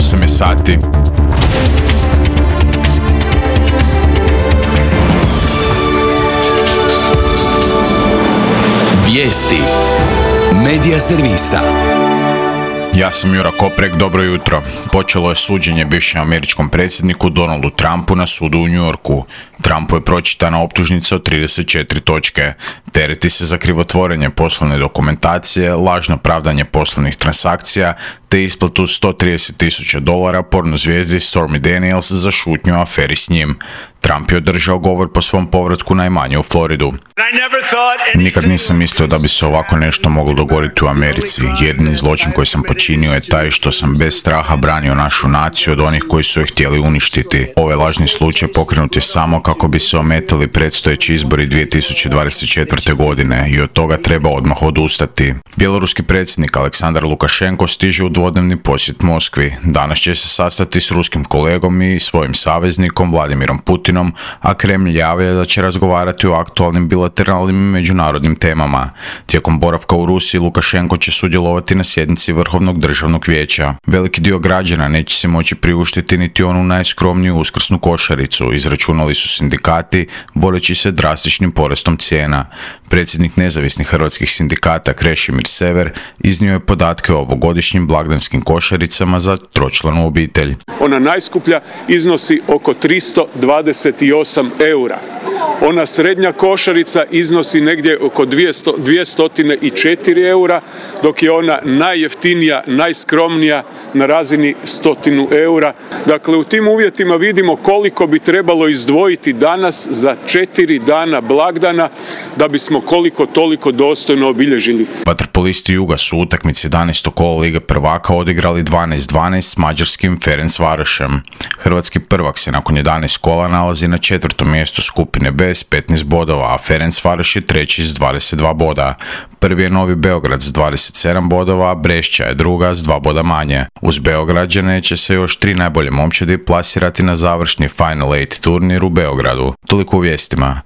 8 je sati. Vijesti Medija servisa. Ja sam Jura Koprek, dobro jutro. Počelo je suđenje bivšem američkom predsjedniku Donaldu Trumpu na sudu u New Yorku. Trumpu je pročitana optužnica od 34 točke. Tereti se za krivotvorenje poslovne dokumentacije, lažno pravdanje poslovnih transakcija, te isplatu $130,000 porno zvijezdi Stormy Daniels za šutnju u aferi s njim. Trump je održao govor po svom povratku najmanje u Floridu. Nikad nisam mislio da bi se ovako nešto moglo dogoditi u Americi. Jedini zločin koji sam počinio je taj što sam bez straha branio našu naciju od onih koji su je htjeli uništiti. Ovaj lažni slučaj pokrenut je samo kako bi se ometali predstojeći izbori 2024. godine i od toga treba odmah odustati. Bjeloruski predsjednik Aleksandar Lukašenko stiže u dvodnevni posjet Moskvi. Danas će se sastati s ruskim kolegom i svojim saveznikom Vladimirom Putinom, a Kremlj javlja da će razgovarati o aktualnim bilateralnim i međunarodnim temama. Tijekom boravka u Rusiji Lukašenko će sudjelovati na sjednici Vrhovnog državnog vijeća. Veliki dio građana neće se moći priuštiti niti onu najskromniju uskrsnu košaricu, izračunali su sindikati, boreći se drastičnim porastom cijena. Predsjednik nezavisnih hrvatskih sindikata Krešimir Sever iznio je podatke o ovogodišnjim blagdanskim košaricama za tročlanu obitelj. Ona najskuplja iznosi oko 328 eura. Ona srednja košarica iznosi negdje oko 204 eura, dok je ona najjeftinija, najskromnija na razini 100 eura. Dakle, u tim uvjetima vidimo koliko bi trebalo izdvojiti danas za 4 dana blagdana da bismo koliko toliko dostojno obilježili. Vaterpolisti Juga su utakmici 11. kola Lige prvaka odigrali 12-12 s mađarskim Ferencvarošem. Hrvatski prvak se nakon 11 kola nalazi na 4. mjestu skupine B s 15 bodova, a Ferencvaroš je treći s 22 boda. Prvi je Novi Beograd s 27 bodova, a Brešća je druga s 2 boda manje. Uz Beograđane će se još 3 najbolje momčadi plasirati na završni Final 8 turnir u Beogradu. Toliko u vijestima.